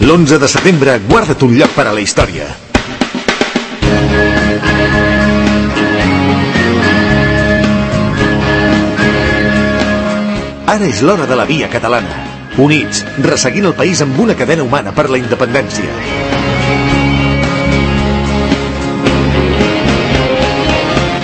L'11 de setembre, guarda't un lloc per a la història. Ara és l'hora de la Via Catalana. Units, resseguint el país amb una cadena humana per la independència.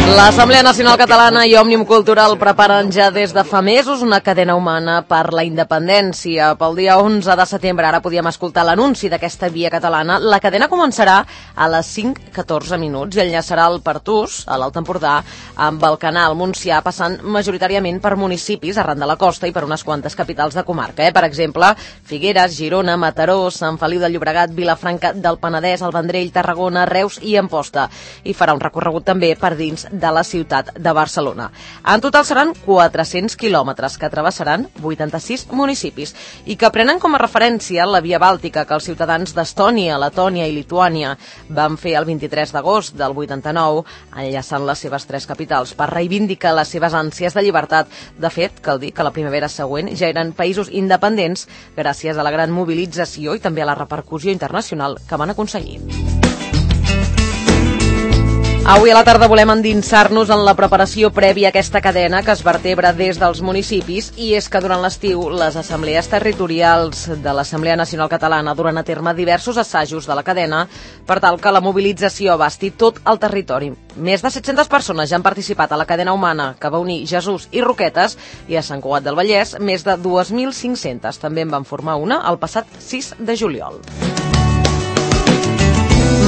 L'Assemblea Nacional Catalana i Òmnium Cultural preparen ja des de fa mesos una cadena humana per la independència. Pel dia 11 de setembre, ara podíem escoltar l'anunci d'aquesta Via Catalana. La cadena començarà a les 5:14 i enllaçarà el Pertús, a l'Alt Empordà, amb el Canal Montsià, passant majoritàriament per municipis arran de la costa i per unes quantes capitals de comarca. Per exemple, Figueres, Girona, Mataró, Sant Feliu de Llobregat, Vilafranca del Penedès, el Vendrell, Tarragona, Reus i Amposta. I farà un recorregut també per dins de la ciutat de Barcelona. En total seran 400 quilòmetres que travessaran 86 municipis i que prenen com a referència la Via Bàltica que els ciutadans d'Estònia, Letònia i Lituània van fer el 23 d'agost del 89, enllaçant les seves 3 capitals per reivindicar les seves ànsies de llibertat. De fet, cal dir que la primavera següent ja eren països independents gràcies a la gran mobilització i també a la repercussió internacional que van aconseguir. Avui a la tarda volem endinsar-nos en la preparació prèvia a aquesta cadena que es vertebra des dels municipis, i és que durant l'estiu les assemblees territorials de l'Assemblea Nacional Catalana duran a terme diversos assajos de la cadena per tal que la mobilització abasti tot el territori. Més de 700 persones ja han participat a la cadena humana que va unir Jesús i Roquetes, i a Sant Cugat del Vallès més de 2.500. També en van formar una el passat 6 de juliol.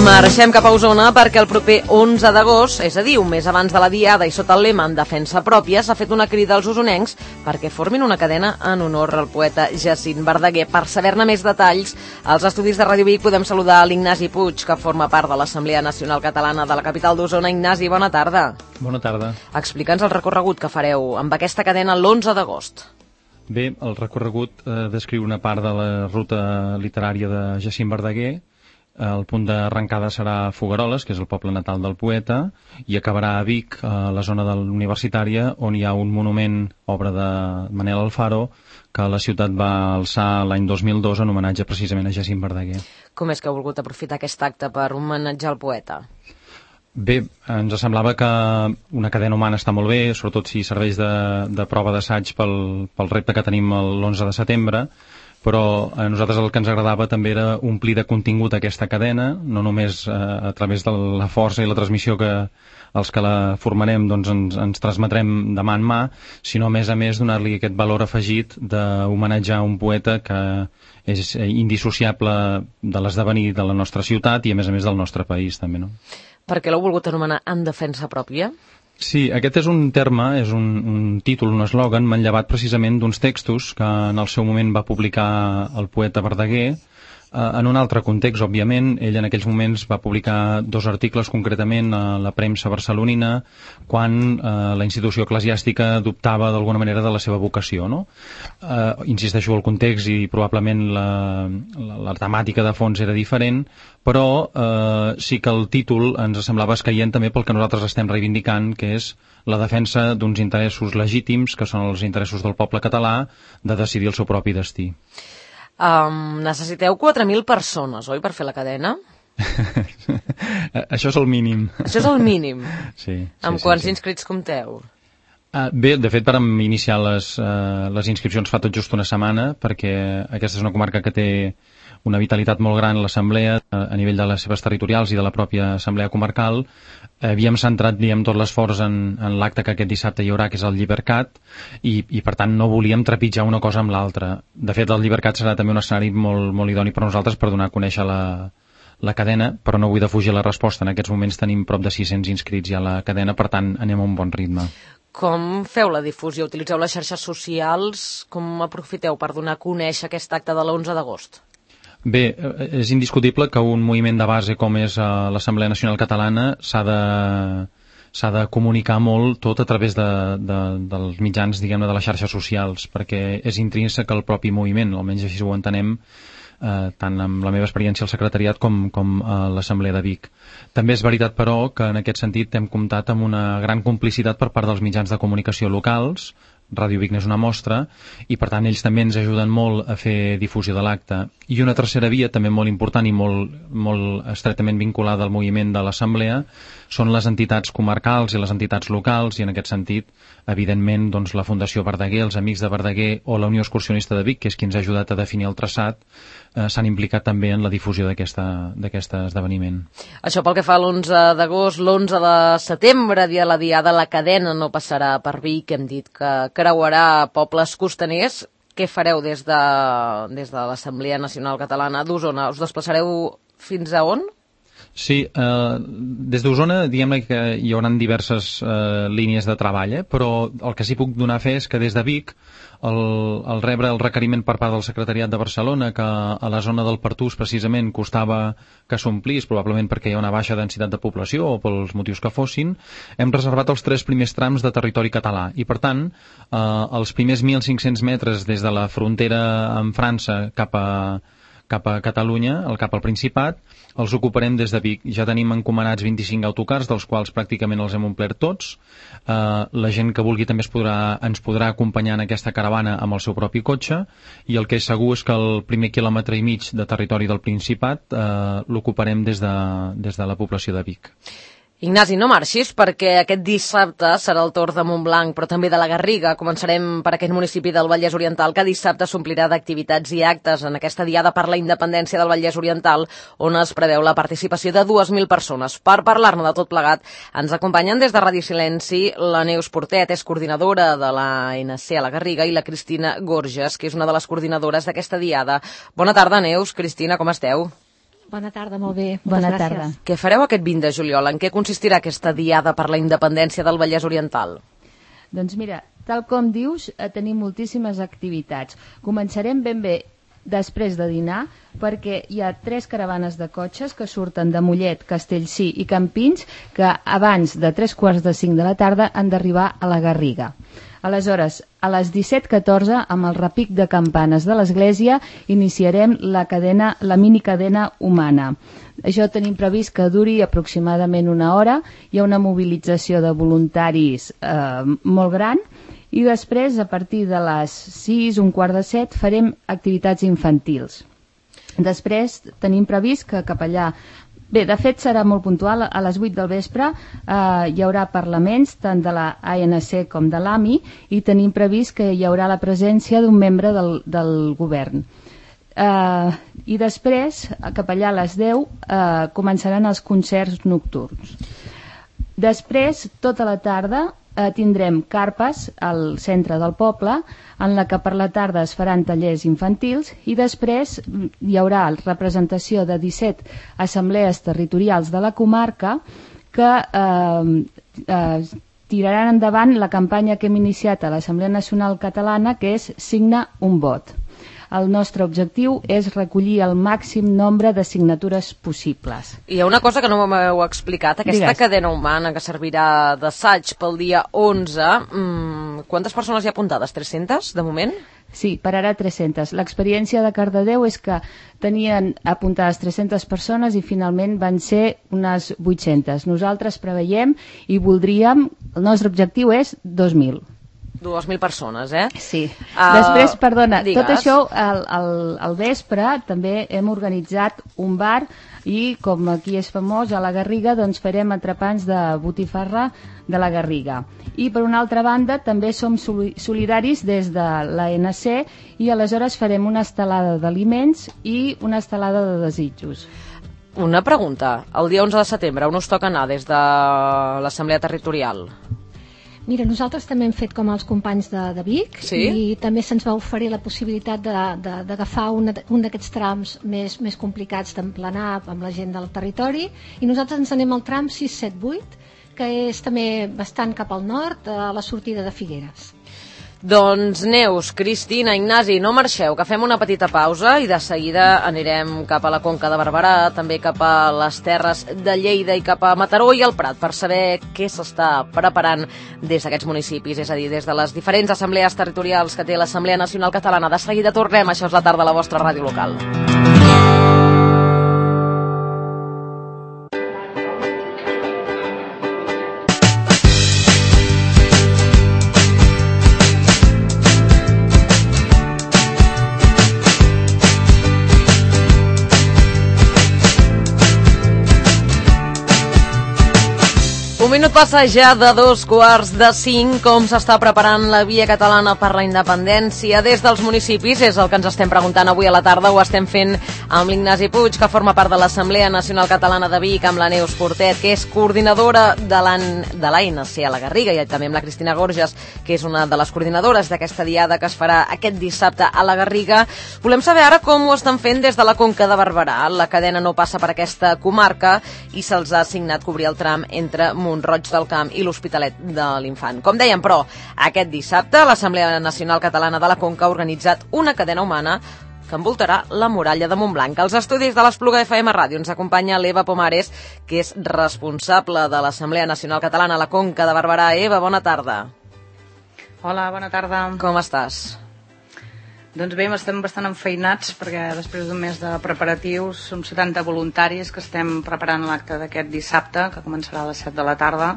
Marxem cap a Osona perquè el proper 11 d'agost, és a dir, un mes abans de la Diada i sota el lema en defensa pròpia, s'ha fet una crida als osonencs perquè formin una cadena en honor al poeta Jacint Verdaguer. Per saber-ne més detalls, als estudis de Ràdio Vic podem saludar l'Ignasi Puig, que forma part de l'Assemblea Nacional Catalana de la capital d'Osona. Ignasi, bona tarda. Bona tarda. Explica'ns el recorregut que fareu amb aquesta cadena l'11 d'agost. Bé, el recorregut descriu una part de la ruta literària de Jacint Verdaguer. El punt d'arrencada serà Fogueroles, que és el poble natal del poeta, i acabarà a Vic, a la zona de l'Universitària, on hi ha un monument, obra de Manel Alfaro, que la ciutat va alçar l'any 2002 en homenatge precisament a Jacint Verdaguer. Com és que heu volgut aprofitar aquest acte per homenatjar el poeta? Bé, ens semblava que una cadena humana està molt bé, sobretot si serveix de prova d'assaig pel repte que tenim l'11 de setembre, però a nosaltres el que ens agradava també era omplir de contingut aquesta cadena, no només a través de la força i la transmissió que els que la formarem doncs ens transmetrem de mà en mà, sinó a més donar-li aquest valor afegit d'homenatjar un poeta que és indissociable de l'esdevenir de la nostra ciutat i a més del nostre país també, no? Per què l'heu volgut anomenar en defensa pròpia? Sí, aquest és un terme, és un títol, un eslògan manllevat precisament d'uns textos que en el seu moment va publicar el poeta Verdaguer, en un altre context, òbviament. Ell en aquells moments va publicar 2 articles concretament a la premsa barcelonina quan la institució eclesiàstica dubtava d'alguna manera de la seva vocació, no? Insisteixo, el context i probablement la temàtica de fons era diferent, però sí que el títol ens semblava escaient també pel que nosaltres estem reivindicant, que és la defensa d'uns interessos legítims, que són els interessos del poble català, de decidir el seu propi destí. Necessiteu 4.000 persones, oi, per fer la cadena? Això és el mínim. Això és el mínim? Sí. Amb quants inscrits compteu? Bé, de fet, vam iniciar les inscripcions fa tot just una setmana, perquè aquesta és una comarca que té una vitalitat molt gran a l'Assemblea a nivell de les seves territorials i de la pròpia Assemblea Comarcal. Havíem centrat, tot l'esforç en l'acte que aquest dissabte hi haurà, que és el Llibercat, i per tant no volíem trepitjar una cosa amb l'altra. De fet, el Llibercat serà també un escenari molt, molt idoni per nosaltres per donar a conèixer la cadena, però no vull defugir la resposta. En aquests moments tenim prop de 600 inscrits ja a la cadena, per tant anem a un bon ritme. Com feu la difusió? Utilitzeu les xarxes socials? Com aprofiteu per donar a conèixer aquest acte de l'11 d'agost? Bé, és indiscutible que un moviment de base com és l'Assemblea Nacional Catalana s'ha de comunicar molt tot a través dels mitjans, diguem-ne, de les xarxes socials, perquè és intrínsec al propi moviment, almenys així ho entenem, tant amb la meva experiència al secretariat com a l'Assemblea de Vic. També és veritat, però, que en aquest sentit hem comptat amb una gran complicitat per part dels mitjans de comunicació locals, Ràdio Vic n'és una mostra, i per tant ells també ens ajuden molt a fer difusió de l'acte. I una tercera via, també molt important i molt estretament vinculada al moviment de l'Assemblea, són les entitats comarcals i les entitats locals, i en aquest sentit, evidentment, doncs, la Fundació Verdaguer, els Amics de Verdaguer o la Unió Excursionista de Vic, que és qui ens ha ajudat a definir el traçat, s'han implicat també en la difusió d'aquest esdeveniment. Això pel que fa a l'11 d'agost, l'11 de setembre, dia de la Diada, la cadena no passarà per Vic, hem dit que creuarà pobles costaners. Què fareu des de l'Assemblea Nacional Catalana d'Osona? Us desplaçareu fins a on? Sí, des d'Osona diguem que hi haurà diverses línies de treball, però el que sí puc donar fe és que des de Vic, al rebre el requeriment per part del Secretariat de Barcelona que a la zona del Pertús precisament costava que s'omplís, probablement perquè hi ha una baixa densitat de població o pels motius que fossin, hem reservat els 3 primers trams de territori català i per tant els primers 1.500 metres des de la frontera amb França cap a Catalunya, cap al Principat, els ocuparem des de Vic. Ja tenim encomanats 25 autocars, dels quals pràcticament els hem omplert tots. La gent que vulgui també ens podrà acompanyar en aquesta caravana amb el seu propi cotxe, i el que és segur és que el primer quilòmetre i mig de territori del Principat l'ocuparem des de la població de Vic. Ignasi, no marxis, perquè aquest dissabte serà el torn de Montblanc, però també de la Garriga. Començarem per aquest municipi del Vallès Oriental, que dissabte s'omplirà d'activitats i actes en aquesta Diada per la Independència del Vallès Oriental, on es preveu la participació de 2.000 persones. Per parlar-ne de tot plegat, ens acompanyen des de Ràdio Silenci la Neus Portet, és coordinadora de l'ANC a la Garriga, i la Cristina Gorges, que és una de les coordinadores d'aquesta Diada. Bona tarda, Neus. Cristina, com esteu? Bona tarda, molt bé. Bona tarda. Què fareu aquest 20 de juliol? En què consistirà aquesta Diada per la Independència del Vallès Oriental? Doncs mira, tal com dius, tenim moltíssimes activitats. Començarem ben bé després de dinar, perquè hi ha 3 caravanes de cotxes que surten de Mollet, Castellcí i Campins, que abans de 3:45 de la tarda han d'arribar a la Garriga. Aleshores, a les 17:14, amb el repic de campanes de l'església, iniciarem la minicadena humana. Això tenim previst que duri aproximadament 1 hora. Hi ha una mobilització de voluntaris molt gran, i després, a partir de les 6, 6:45, farem activitats infantils. Després tenim previst que cap allà... Bé, de fet serà molt puntual, a les 8 del vespre hi haurà parlaments tant de la ANC com de l'AMI, i tenim previst que hi haurà la presència d'un membre del govern. I després, cap allà a les 10, començaran els concerts nocturns. Després, tota la tarda, tindrem carpes al centre del poble, en la que per la tarda es faran tallers infantils, i després hi haurà representació de 17 assemblees territorials de la comarca que tiraran endavant la campanya que hem iniciat a l'Assemblea Nacional Catalana, que és Signa un vot. El nostre objectiu és recollir el màxim nombre de signatures possibles. Hi ha una cosa que no m'heu explicat, aquesta cadena humana que servirà d'assaig pel dia 11. Quantes persones hi ha apuntades? 300, de moment? Sí, per ara 300. L'experiència de Cardedeu és que tenien apuntades 300 persones i finalment van ser unes 800. Nosaltres preveiem i voldríem, el nostre objectiu és 2.000. 2.000 persones, Sí. Després, perdona, digues. tot això al vespre també hem organitzat un bar, i com aquí és famós, a la Garriga, doncs farem entrepans de botifarra de la Garriga. I per una altra banda també som solidaris des de l'ANC, i aleshores farem una estelada d'aliments i una estelada de desitjos. Una pregunta, el dia 11 de setembre, on us toca anar des de l'Assemblea Territorial? Mira, nosaltres també hem fet com els companys de Vic, sí? I també se'ns va oferir la possibilitat d'agafar un d'aquests trams més complicats d'emplenar amb la gent del territori, i nosaltres ens anem al tram 678, que és també bastant cap al nord, a la sortida de Figueres. Doncs Neus, Cristina, Ignasi, no marxeu, que fem una petita pausa i de seguida anirem cap a la Conca de Barberà, també cap a les terres de Lleida i cap a Mataró i el Prat, per saber què s'està preparant des d'aquests municipis, és a dir, des de les diferents assemblees territorials que té l'Assemblea Nacional Catalana. De seguida tornem, això és la tarda a la vostra ràdio local. minut passa ja de 2:45, com s'està preparant la Via Catalana per la Independència des dels municipis, és el que ens estem preguntant avui a la tarda. Ho estem fent amb l'Ignasi Puig, que forma part de l'Assemblea Nacional Catalana de Vic, amb la Neus Portet, que és coordinadora de l'ANC a la Garriga, i també amb la Cristina Gorges, que és una de les coordinadores d'aquesta diada que es farà aquest dissabte a la Garriga. Volem saber ara com ho estan fent des de la Conca de Barberà. La cadena no passa per aquesta comarca i se'ls ha assignat cobrir el tram entre Mont-roig del Camp i l'Hospitalet de l'Infant. Com dèiem, però, aquest dissabte l'Assemblea Nacional Catalana de la Conca ha organitzat una cadena humana que envoltarà la muralla de Montblanc. Als estudis de l'Espluga FM Ràdio ens acompanya l'Eva Pomares, que és responsable de l'Assemblea Nacional Catalana a la Conca de Barberà. Eva, bona tarda. Hola, bona tarda. Com estàs? Doncs bé, estem bastant enfeinats perquè després d'un mes de preparatius som 70 voluntaris que estem preparant l'acte d'aquest dissabte, que començarà a les 7 de la tarda.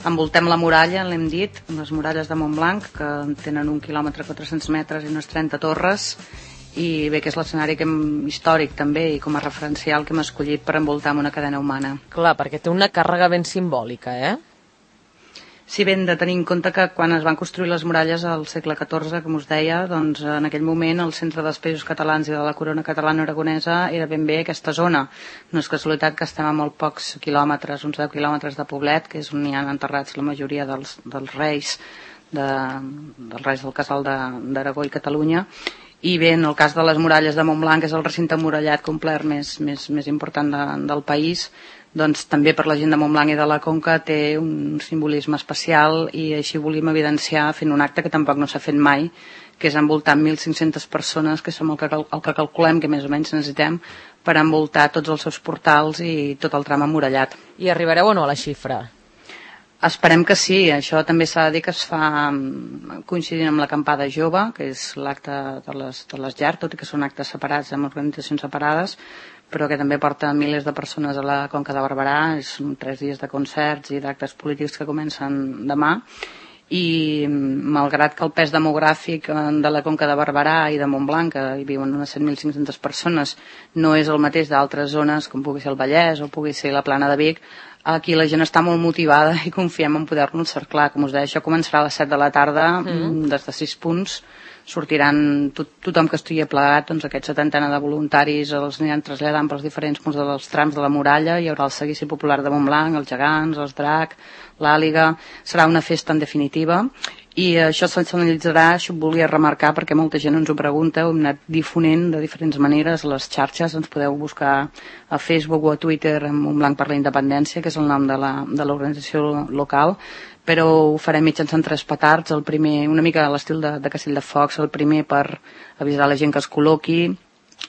Envoltem la muralla, l'hem dit, les muralles de Montblanc, que tenen 1 quilòmetre 400 metres i unes 30 torres, i bé, que és l'escenari històric també i com a referencial que hem escollit per envoltar amb una cadena humana. Clar, perquè té una càrrega ben simbòlica, eh? Si ben de tenir en compte que quan es van construir les muralles al segle XIV, com us deia, doncs en aquell moment el centre dels països catalans i de la corona catalana aragonesa era ben bé aquesta zona. No és casualitat que estem a molt pocs quilòmetres, uns 10 quilòmetres de Poblet, que és on hi han enterrats la majoria dels reis del casal d'Aragó i Catalunya. I bé, en el cas de les muralles de Montblanc, és el recinte emmurallat complet més important del país, doncs també per la gent de Montblanc i de la Conca té un simbolisme especial, i així volíem evidenciar fent un acte que tampoc no s'ha fet mai, que és envoltar 1.500 persones, que som el que calculem que més o menys necessitem per envoltar tots els seus portals i tot el tram emmurallat. I arribareu o no a la xifra? Esperem que sí. Això també s'ha de dir que es fa coincidint amb l'acampada jove, que és l'acte de les llars, tot i que són actes separats amb organitzacions separades, però que també porta milers de persones a la Conca de Barberà. Són 3 dies de concerts i d'actes polítics que comencen demà, i malgrat que el pes demogràfic de la Conca de Barberà i de Montblanc, que hi viuen unes 7.500 persones, no és el mateix d'altres zones com pugui ser el Vallès o pugui ser la Plana de Vic, aquí la gent està molt motivada i confiem en poder-nos cerclar. Com us deia, això començarà a les 7 de la tarda, des de 6 punts. Sortiran tothom que estigui plegat, doncs aquest 70 de voluntaris els aniran traslladant pels diferents punts dels trams de la muralla. Hi haurà el seguici popular de Montblanc, els gegants, els drac, l'àliga. Serà una festa en definitiva, i això s'analitzarà, això ho volia remarcar perquè molta gent ens ho pregunta, ho hem anat difonent de diferents maneres a les xarxes. Ens podeu buscar a Facebook o a Twitter amb Montblanc per la Independència, que és el nom de l'organització local, però ho farem mitjançant 3 petards. El primer, una mica a l'estil de Castell de Focs, el primer per avisar la gent que es col·loqui,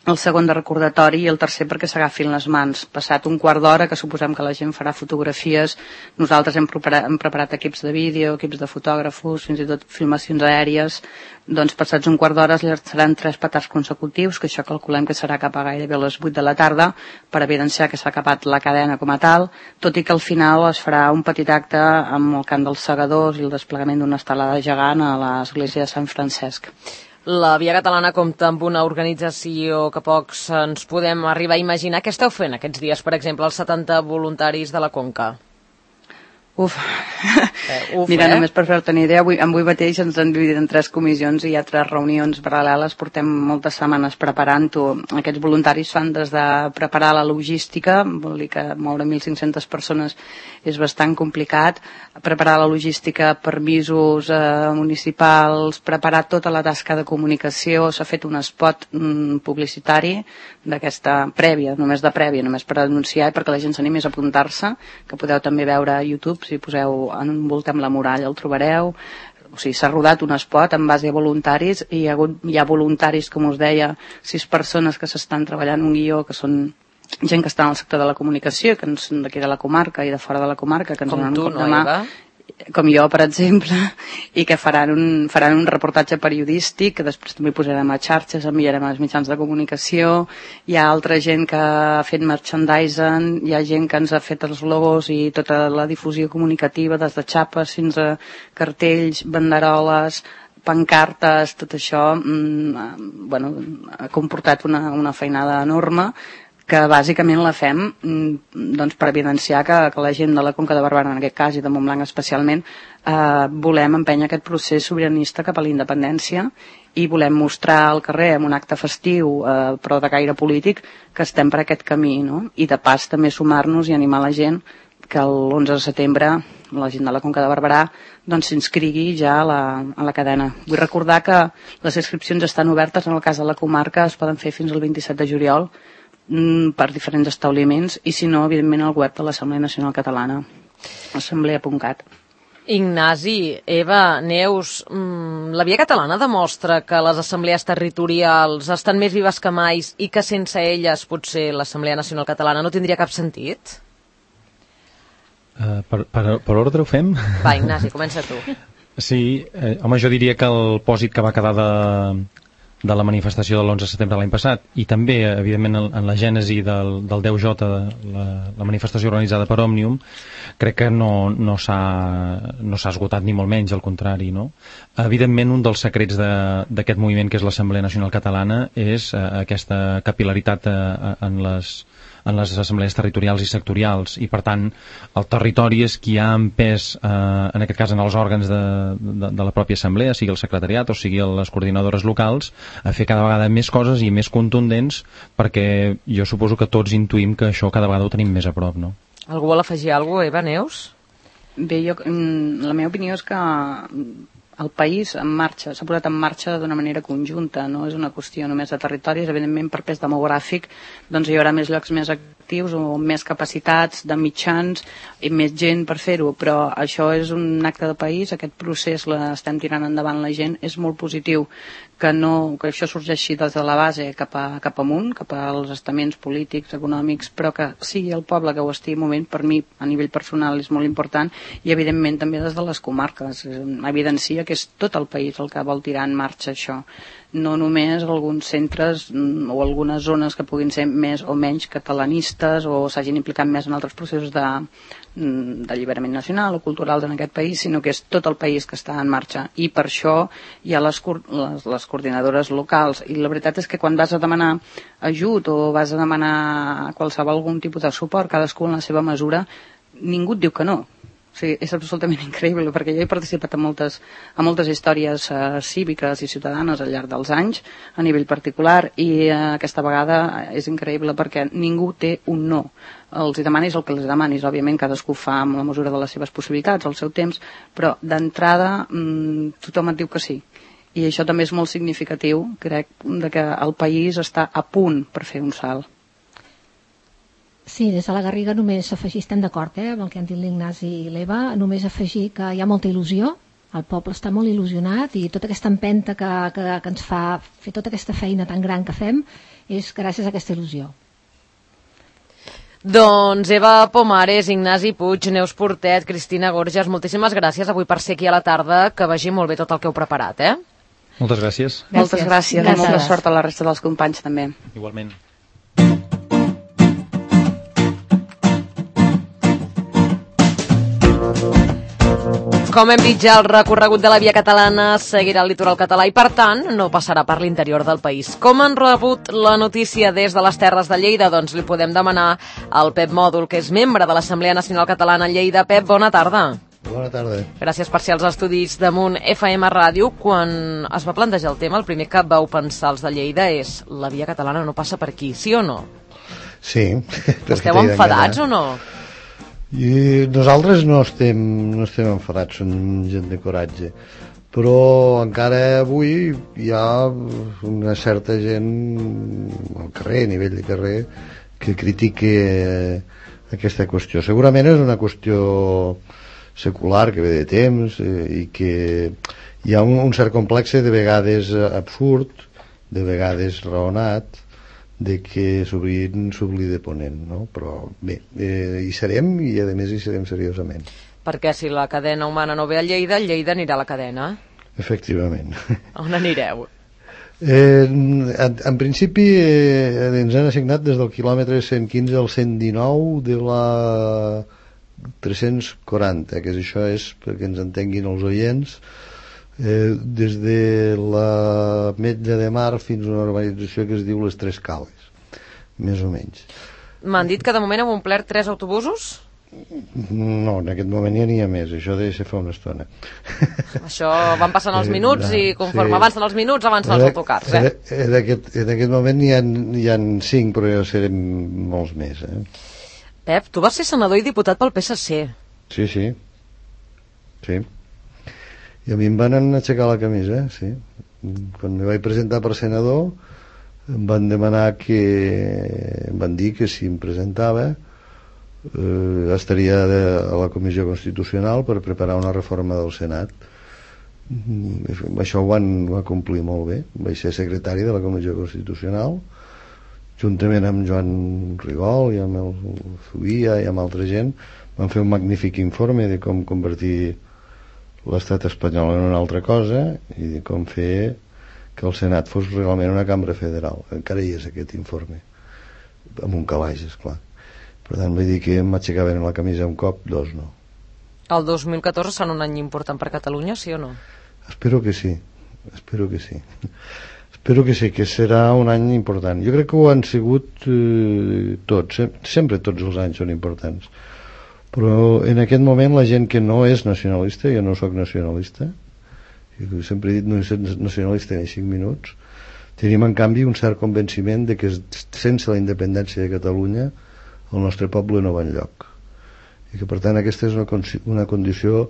el segon de recordatori, i el tercer perquè s'agafin les mans. Passat un quart d'hora, que suposem que la gent farà fotografies, nosaltres hem preparat equips de vídeo, equips de fotògrafos, fins i tot filmacions aèries. Doncs passats un quart d'hora seran 3 petards consecutius, que això calculem que serà cap a gairebé a les 8 de la tarda, per evidenciar que s'ha acabat la cadena com a tal, tot i que al final es farà un petit acte amb el cant dels segadors i el desplegament d'una estelada gegant a l'església de Sant Francesc. La Via Catalana compta amb una organització que pocs ens podem arribar a imaginar. Què esteu fent aquests dies, per exemple, els 70 voluntaris de la Conca? Mira, només per fer-te una idea, avui mateix ens han dividit en 3 comissions i hi ha 3 reunions paral·leles. Portem moltes setmanes preparant-ho. Aquests voluntaris fan des de preparar la logística, vol dir que moure 1.500 persones és bastant complicat, preparar la logística, permisos municipals, preparar tota la tasca de comunicació. S'ha fet un spot publicitari d'aquesta prèvia, només per anunciar i perquè la gent s'animés a apuntar-se, que podeu també veure a YouTube. Si poseu Envoltem la muralla el trobareu. O sigui, s'ha rodat un spot en base a voluntaris, i hi ha voluntaris, com us deia, 6 persones que s'estan treballant un guió, que són gent que està en el sector de la comunicació, que són d'aquí de la comarca i de fora de la comarca, que ens donen un cop de mà, com jo, per exemple, i que faran un reportatge periodístic que després també posarem a xarxes, enviarem als mitjans de comunicació. Hi ha altra gent que ha fet merchandising, hi ha gent que ens ha fet els logos i tota la difusió comunicativa, des de xapes fins a cartells, banderoles, pancartes. Tot això ha comportat una feinada enorme que bàsicament la fem doncs, per evidenciar que la gent de la Conca de Barberà, en aquest cas, i de Montblanc especialment, volem empènyer aquest procés sobiranista cap a la independència i volem mostrar al carrer amb un acte festiu, però de caire polític, que estem per aquest camí, no? I de pas també sumar-nos i animar la gent que l'11 de setembre la gent de la Conca de Barberà doncs s'inscrigui ja a la cadena. Vull recordar que les inscripcions estan obertes, en el cas de la comarca es poden fer fins al 27 de juliol per diferents establiments i si no, evidentment al web de l'Assemblea Nacional Catalana, assemblea.cat. Ignasi, Eva, Neus, la Via Catalana demostra que les assemblees territorials estan més vives que mai i que sense elles potser l'Assemblea Nacional Catalana no tindria cap sentit? Per ordre ho fem? Va, Ignasi, comença tu. Sí, home, jo diria que el pòsit que va quedar de la manifestació de l'11 de setembre de l'any passat i també, evidentment, en la gènesi del 10J, la manifestació organitzada per Òmnium, crec que no s'ha esgotat ni molt menys, al contrari, no? Evidentment, un dels secrets d'aquest moviment que és l'Assemblea Nacional Catalana és aquesta capil·laritat en les assemblees territorials i sectorials i per tant el territori és qui ha empès en aquest cas en els òrgans de la pròpia assemblea, sigui el secretariat o sigui les coordinadores locals, a fer cada vegada més coses i més contundents perquè jo suposo que tots intuïm que això cada vegada ho tenim més a prop, no? Algú vol afegir alguna cosa, Eva, Neus? Bé, la meva opinió és que el país en marxa, s'ha posat en marxa d'una manera conjunta, no és una qüestió només de territoris, evidentment per pes demogràfic doncs hi haurà més llocs més actius o més capacitats de mitjans i més gent per fer-ho, però això és un acte de país, aquest procés l'estem tirant endavant la gent, és molt positiu que això sorgeixi des de la base cap amunt, cap als estaments polítics, econòmics, però que sigui el poble que ho estigui movent, per mi a nivell personal és molt important i evidentment també des de les comarques, evidencia que és tot el país el que vol tirar en marxa això, no només alguns centres o algunes zones que puguin ser més o menys catalanistes o s'hagin implicat més en altres processos d'alliberament nacional o culturals en aquest país, sinó que és tot el país que està en marxa i per això hi ha les coordinadores locals i la veritat és que quan vas a demanar ajut o vas a demanar algun tipus de suport, cadascú en la seva mesura, ningú et diu que no. Sí, és absolutament increïble, perquè jo he participat en moltes històries cíviques i ciutadanes al llarg dels anys, a nivell particular, i aquesta vegada és increïble perquè ningú té un no. Els demanis el que els demanis, òbviament cadascú fa amb la mesura de les seves possibilitats, el seu temps, però d'entrada tothom et diu que sí. I això també és molt significatiu, crec, que el país està a punt per fer un salt. Sí, des de la Garriga només afegir, estem d'acord amb el que han dit l'Ignasi i l'Eva, només afegir que hi ha molta il·lusió, el poble està molt il·lusionat i tota aquesta empenta que ens fa fer tota aquesta feina tan gran que fem és gràcies a aquesta il·lusió. Doncs Eva Pomares, Ignasi Puig, Neus Portet, Cristina Gorges, moltíssimes gràcies avui per ser aquí a la tarda, que vagi molt bé tot el que heu preparat, Moltes gràcies. Moltes gràcies. I molta sort a la resta dels companys també. Igualment. Com hem dit ja, el recorregut de la Via Catalana seguirà el litoral català i, per tant, no passarà per l'interior del país. Com han rebut la notícia des de les Terres de Lleida? Doncs li podem demanar al Pep Mòdol, que és membre de l'Assemblea Nacional Catalana a Lleida. Pep, bona tarda. Bona tarda. Gràcies per ser als estudis d'Amunt FM Ràdio. Quan es va plantejar el tema, el primer que vau pensar els de Lleida és la Via Catalana no passa per aquí, sí o no? Sí. Esteu enfadats o no? I nosaltres no estem enfadats, som gent de coratge, però encara avui hi ha una certa gent al carrer, a nivell de carrer, que critica aquesta qüestió. Segurament és una qüestió secular que ve de temps i que hi ha un cert complex de vegades absurd, de vegades raonat, de que s'oblida ponent, no? Però bé, hi serem i a més hi serem seriosament. Perquè si la cadena humana no ve a Lleida, Lleida anirà a la cadena. Efectivament. On anireu? En principi ens han assignat des del quilòmetre 115 al 119 de la 340, que això és, perquè ens entenguin els oients, des de la Metlla de Mar fins a una urbanització que es diu les Tres Cales. més o menys. M'han dit que de moment hem omplert 3 autobusos? No, en aquest moment ja n'hi ha més, això deu ser fa una estona. Això van passant els minuts i conforme avancen els minuts avancen els autocars, En aquest moment hi ha 5, però ja serem molts més. Pep, tu vas ser senador i diputat pel PSC. Sí. I a mi em van aixecar la camisa, sí. Quan me vaig presentar per senador em van demanar em van dir que si em presentava estaria a la Comissió Constitucional per preparar una reforma del Senat. Això ho va complir molt bé. Vaig ser secretari de la Comissió Constitucional juntament amb Joan Rigol i amb el Zubia i amb altra gent. Van fer un magnífic informe de com convertir l'estat espanyol en una altra cosa i de com fer que el Senat fos realment una cambra federal. Encara hi és aquest informe, amb un calaix, esclar. Per tant, vull dir que m'aixecaven la camisa un cop, 2 no. El 2014 serà un any important per Catalunya, sí o no? Espero que sí. Espero que sí, que serà un any important. Jo crec que ho han sigut tots, sempre tots els anys són importants. Però en aquest moment la gent que no és nacionalista, jo no sóc nacionalista, jo sempre he dit no soc nacionalista ni 5 minuts, tenim en canvi un cert convenciment de que sense la independència de Catalunya el nostre poble no va enlloc i que per tant aquesta és una condició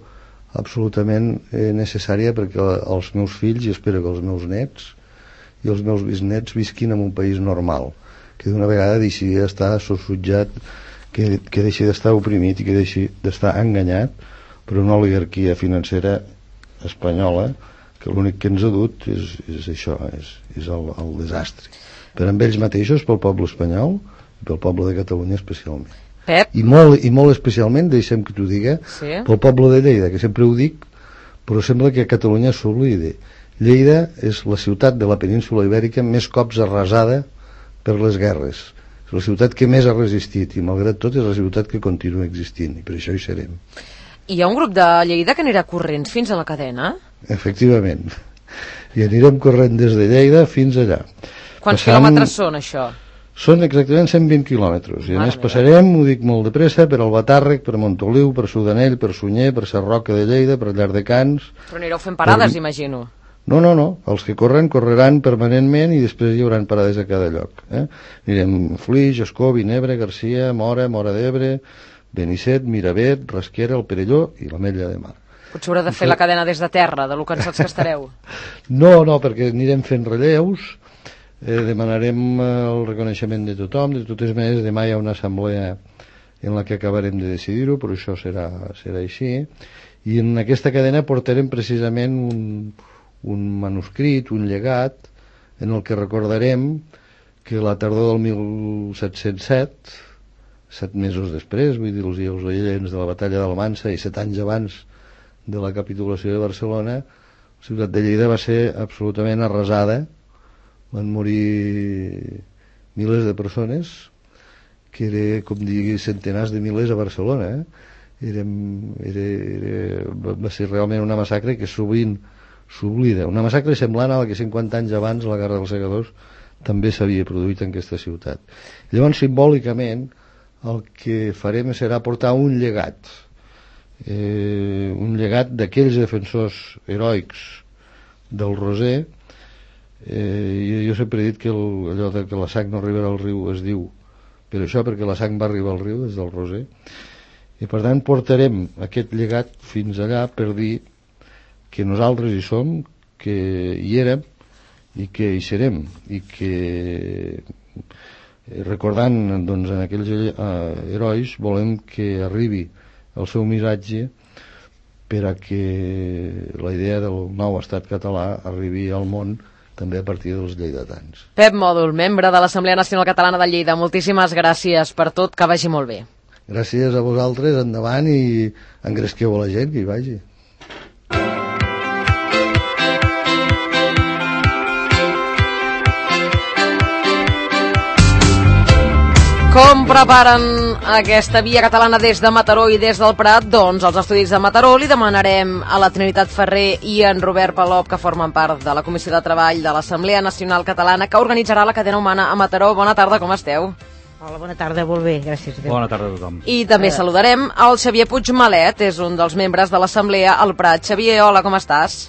absolutament necessària perquè els meus fills i espero que els meus nets i els meus bisnets visquin en un país normal, que d'una vegada deixi d'estar sosutjat, que deixi d'estar oprimit i que deixi d'estar enganyat per una oligarquia financera espanyola que l'únic que ens ha dut és això, és el desastre per amb ells mateixos, pel poble espanyol i pel poble de Catalunya especialment. Pep? I molt especialment, deixem que t'ho diga, sí? Pel poble de Lleida, que sempre ho dic, però sembla que a Catalunya s'oblida. Lleida és la ciutat de la península Ibèrica més cops arrasada per les guerres. És la ciutat que més ha resistit i malgrat tot és la ciutat que continua existint i per això hi serem. Hi ha un grup de Lleida que anirà corrents fins a la cadena? Efectivament. I anirem corrent des de Lleida fins allà. Quants quilòmetres són, això? Són exactament 120 quilòmetres. I a més passarem, ho dic molt de pressa, per Albatàrrec, per Montoliu, per Sudanell, per Sunyer, per Sarroca de Lleida, per Llardecans... Però anireu fent parades, imagino. No. Els que correran permanentment i després hi haurà parades a cada lloc. Anirem Flix, Escó, Vinebre, Garcia, Mora d'Ebre, Benisset, Miravet, Rasquera, el Perelló i l'Ametlla de Mar. Potser haurà de fer la cadena des de terra, de lo cansats que estareu. No, perquè anirem fent relleus, demanarem el reconeixement de tothom. De totes maneres, demà hi ha una assemblea en la que acabarem de decidir-ho, però això serà així. I en aquesta cadena portarem precisament un manuscrit, un llegat, en el que recordarem que la tardor del 1707, 7 mesos després, vull dir, els oients de la batalla d'Almansa i 7 anys abans de la capitulació de Barcelona, la ciutat de Lleida va ser absolutament arrasada. Van morir milers de persones, que era, com dir, centenars de milers a Barcelona. Va ser realment una massacre que sovint s'oblida. Una massacre semblant a la que 50 anys abans, la Guerra dels Segadors, també s'havia produït en aquesta ciutat. Llavors, simbòlicament, el que farem serà portar un llegat d'aquells defensors heroics del Roser. Jo sempre he dit que allò de que la sang no arribarà al riu es diu per això, perquè la sang va arribar al riu des del Roser, i per tant portarem aquest llegat fins allà per dir que nosaltres hi som, que hi érem i que hi serem, i que recordant doncs en aquells herois volem que arribi el seu missatge per a que la idea del nou estat català arribi al món també a partir dels lleidatans. Pep Mòdol, membre de l'Assemblea Nacional Catalana de Lleida, moltíssimes gràcies per tot, que vagi molt bé. Gràcies a vosaltres, endavant, i engresqueu a la gent que hi vagi. Com preparen aquesta via catalana des de Mataró i des del Prat? Doncs als estudis de Mataró li demanarem a la Trinitat Ferrer i en Robert Palop, que formen part de la Comissió de Treball de l'Assemblea Nacional Catalana, que organitzarà la cadena humana a Mataró. Bona tarda, com esteu? Hola, bona tarda, molt bé, gràcies. Bona tarda a tothom. I també saludarem el Xavier Puigmalet, és un dels membres de l'Assemblea al Prat. Xavier, hola, com estàs?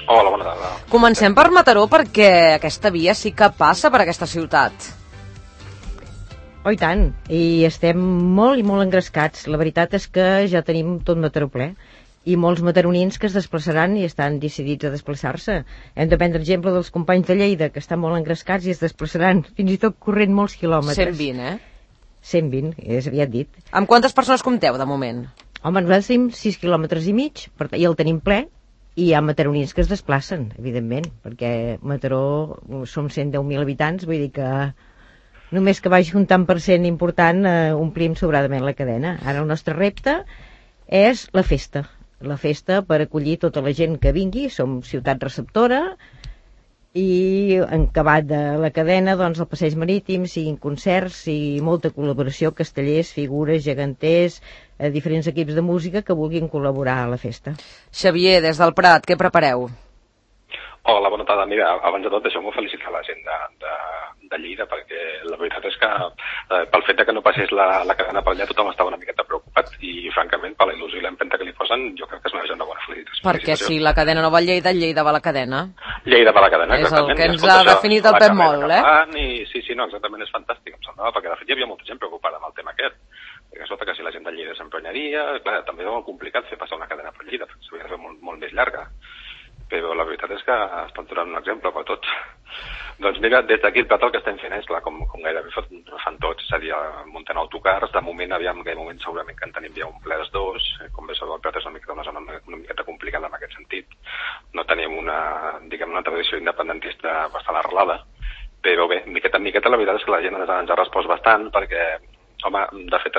Hola, bona tarda. Comencem per Mataró, perquè aquesta via sí que passa per aquesta ciutat. Oh, i tant, i estem molt i molt engrescats. La veritat és que ja tenim tot Mataró ple, i molts mataronins que es desplaçaran i estan decidits a desplaçar-se. Hem de prendre exemple dels companys de Lleida, que estan molt engrescats i es desplaçaran, fins i tot corrent molts quilòmetres. 120, 120, és aviat dit. Amb quantes persones compteu, de moment? Home, nosaltres tenim 6 quilòmetres i mig, i el tenim ple, i hi ha mataronins que es desplacen, evidentment, perquè Mataró som 110.000 habitants, vull dir que només que vagi un tant per cent important omplim sobradament la cadena. Ara el nostre repte és la festa per acollir tota la gent que vingui. Som ciutat receptora i en acabat de la cadena, doncs el passeig marítim, siguin concerts i molta col·laboració, castellers, figures, geganters, diferents equips de música que vulguin col·laborar a la festa. Xavier, des del Prat, què prepareu? Hola, bona tarda. Mira, abans de tot deixeu-me felicitar la gent de Lleida, perquè la veritat és que pel fet que no passés la cadena per allà tothom estava una miqueta preocupat i francament per la il·lusió i l'empenta que li posen jo crec que es mereix una bona felicitació. Perquè si la cadena no va a Lleida, Lleida va a la cadena. Lleida va a la cadena, exactament. És el que ens ha definit el Pep molt, Sí, no, exactament, és fantàstic, em semblava, perquè de fet hi havia molta gent preocupada amb el tema aquest. Perquè sota que si la gent de Lleida s'emprenyaria, clar, també era molt complicat fer passar una cadena per Lleida, perquè s'havia de fer molt més llarga. Però la veritat és que estan donant un exemple per tots. Doncs mira, des d'aquí el Prat el que estem fent és, clar, com gairebé fan tots, és a dir, muntant autocars. De moment, aviam, en aquell moment segurament que en tenim ja un ple dels dos. Com bé sabeu, el Prat és una zona una miqueta complicada en aquest sentit. No tenim una tradició independentista bastant arrelada, però bé, miqueta en miqueta la veritat és que la gent ens ha respost bastant, perquè home, de fet,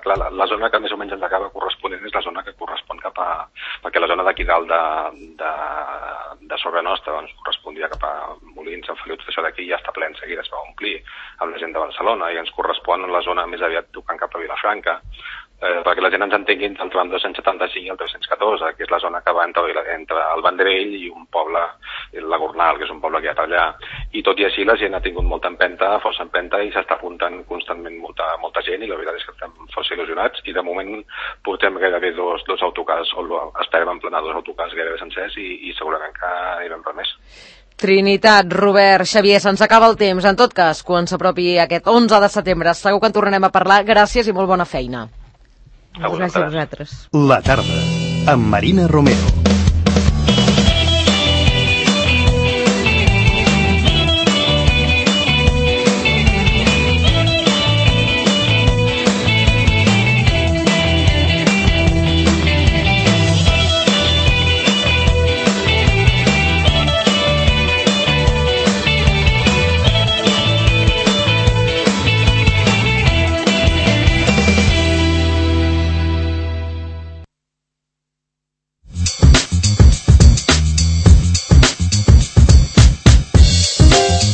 clar, la zona que més o menys ens acaba corresponent és la zona que correspon cap a... perquè la zona d'aquí dalt de sobre nostra doncs, correspondria cap a Molins, Sant Feliu, tot això d'aquí ja està ple en seguida, es va omplir amb la gent de Barcelona i ens correspon la zona més aviat tocant cap a Vilafranca, perquè la gent ens entengui entre el tram 275 i el 314, que és la zona que va entre el Vendrell i un poble, la Gornal, que és un poble que hi ha allà. I tot i així la gent ha tingut molta empenta, força empenta, i s'està apuntant constantment molta gent, i la veritat és que estem força il·lusionats, i de moment portem gairebé dos autocars, o esperem emplenar 2 autocars gairebé sencers, i segurament que anirem per més. Trinitat, Robert, Xavier, se'ns acaba el temps. En tot cas, quan s'apropi aquest 11 de setembre, segur que en tornarem a parlar. Gràcies i molt bona feina. Gràcies a vosaltres. La tarda, amb Marina Romero.